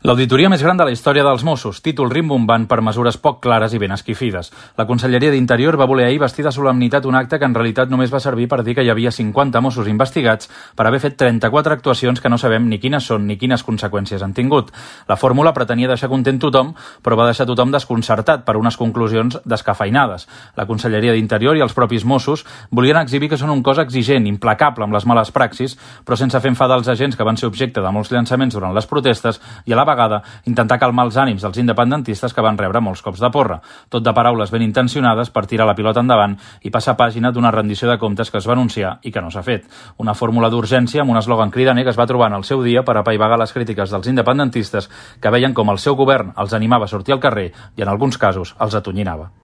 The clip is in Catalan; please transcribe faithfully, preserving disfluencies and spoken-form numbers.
L'auditoria més gran de la història dels Mossos, títol rimbombant per mesures poc clares i ben esquifides. La Conselleria d'Interior va voler ahir vestir de solemnitat un acte que en realitat només va servir per dir que hi havia cinquanta Mossos investigats per haver fet trenta-quatre actuacions que no sabem ni quines són ni quines conseqüències han tingut. La fórmula pretenia deixar content tothom, però va deixar tothom desconcertat per unes conclusions descafeinades. La Conselleria d'Interior i els propis Mossos volien exhibir que són un cos exigent, implacable amb les males praxis, però sense fer enfadar els agents que van ser objecte de molts llançaments durant les protestes i a la vegada intentar calmar els ànims dels independentistes que van rebre molts cops de porra. Tot de paraules ben intencionades per tirar la pilota endavant i passar pàgina d'una rendició de comptes que es va anunciar i que no s'ha fet. Una fórmula d'urgència amb un eslògan cridaner que es va trobar en el seu dia per apaivagar les crítiques dels independentistes que veien com el seu govern els animava a sortir al carrer i en alguns casos els atonyinava.